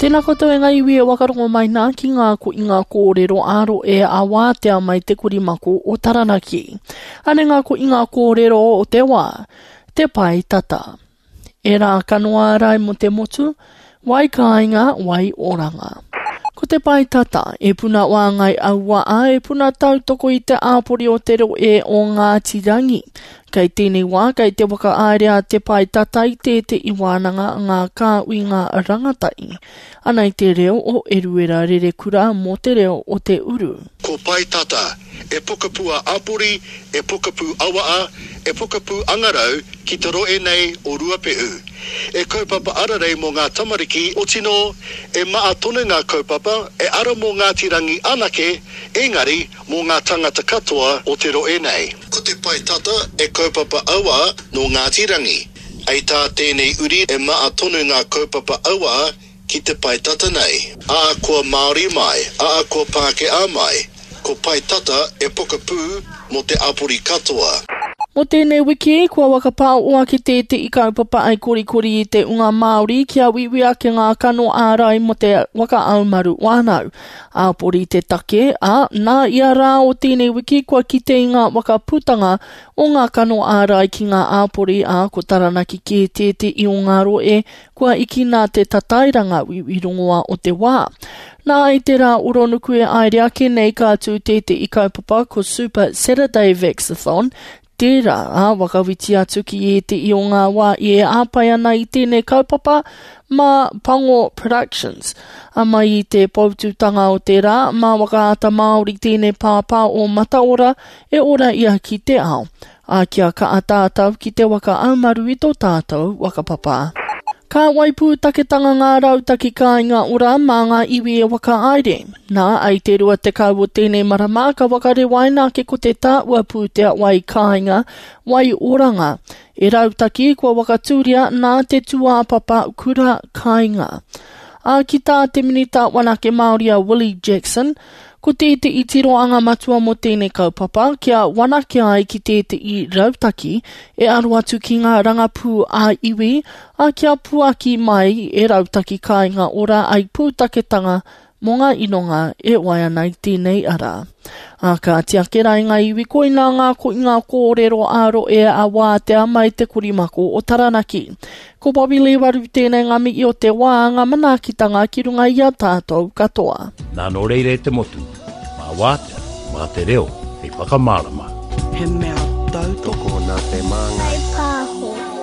Tēnā koutou e ngā iwi e wakarongo mai nā ki ngā ko i ngā kōrero ā rohe a wātea mai te korimako o Taranaki. Anei ngā ko i ngā kōrero o te wā, te pae tata. E rā kanoa ārai mō te motu, wai kāinga, wai oranga. Ko te pae tata, e puna wāngai aua a e puna tautoko i te āpori o te rohe o Ngāti Rangi. Kei tēnei wā, kei te whakahaere a Te Pae Tata i tētehi wānanga ngā kāuinga rangatahi. Anei te reo o Eruera Rerekura mō te reo o te uru. Ko Pae Tata, e pokapū a Apori, e pokapū Awaa, e pokapū Angarau ki te rohe nei o Ruapehu. E kaupapa ararei mō ngā tamariki, otinō, e maa tonu ngā kaupapa, e ara mō Ngāti Rangi anake, engari mō ngā tangata katoa o te rohe nei. Ko te pae tata e kaupapa auā nō Ngāti Rangi. Ei tā tēnei uri e maa tonu ngā kaupapa auā ki te pae tata nei. Ā kua Māori mai, ā kua Pākehā mai, ko pae tata e pokapū mō te apori katoa. Mō tēnei wiki, kua whakapāoa ki tētehi kaupapa ai korikori i te unga Māori kia uiui ake ngā kano ārai mō te waka aumaru whānau. Āpori te take, ā, nā ia rā o tēnei wiki kua kite i ngā waka putanga o ngā kano ārai ki ngā āpori, ā, ko Taranaki kē tētehi o ngā rohe kua ikina te tatairanga uiui rongoā o te wā. Nā, i te rā oronuku e aere ake nei ka tū tētehi kaupapa ko Super Saturday Vaxathon, Tērā, ā, whakawhiti atu ki ētehi o ngā wā i e āpai ana i tēnei kaupapa mā Pango Productions. Ā, mai i te poutūtanga o te rā, mā Whakaata Māori tēnei pāpā o Mataora e ora ia ki te ao. Ā, kia kaha tātou ki te waka aumaru i tō tātou whakapapa. Ka waipūtaketanga ngā rautaki kāinga ora mā ngā iwi e whakahaere. Nā, i te 20 o tēnei marama ka whakarewaina ake ko te tāua pūtea wai kāinga, wai oranga, e rautaki kua whakatūria nā te tūāpapa kura kāinga. Ā, ki tā te Minita Wanake Māori a Willie Jackson, Ko tētehi tirohanga matua mō tēnei kaupapa, kia whanake ai ki tētehi rautaki e aro atu ki ngā rangapū ā-iwi, ā, kia puaki mai e Rautaki Kāinga Ora ai pūtaketanga mō ngā inonga e wai ana i tēnei ara. Ā, kāti ake rā i ngā iwi koinā ngā koinga kōrero ā-rohe a Wātea mai te korimako o Taranaki. Ko Bobby Lee Waru tēnei ngā mihi o te wā, ngā manaakitanga ki runga i a tātou katoa. Nā nō reira e te motu, mā Wātea, mā te reo hei whakamārama. He mea tautoko. Tokona te māngai. Whaipāho.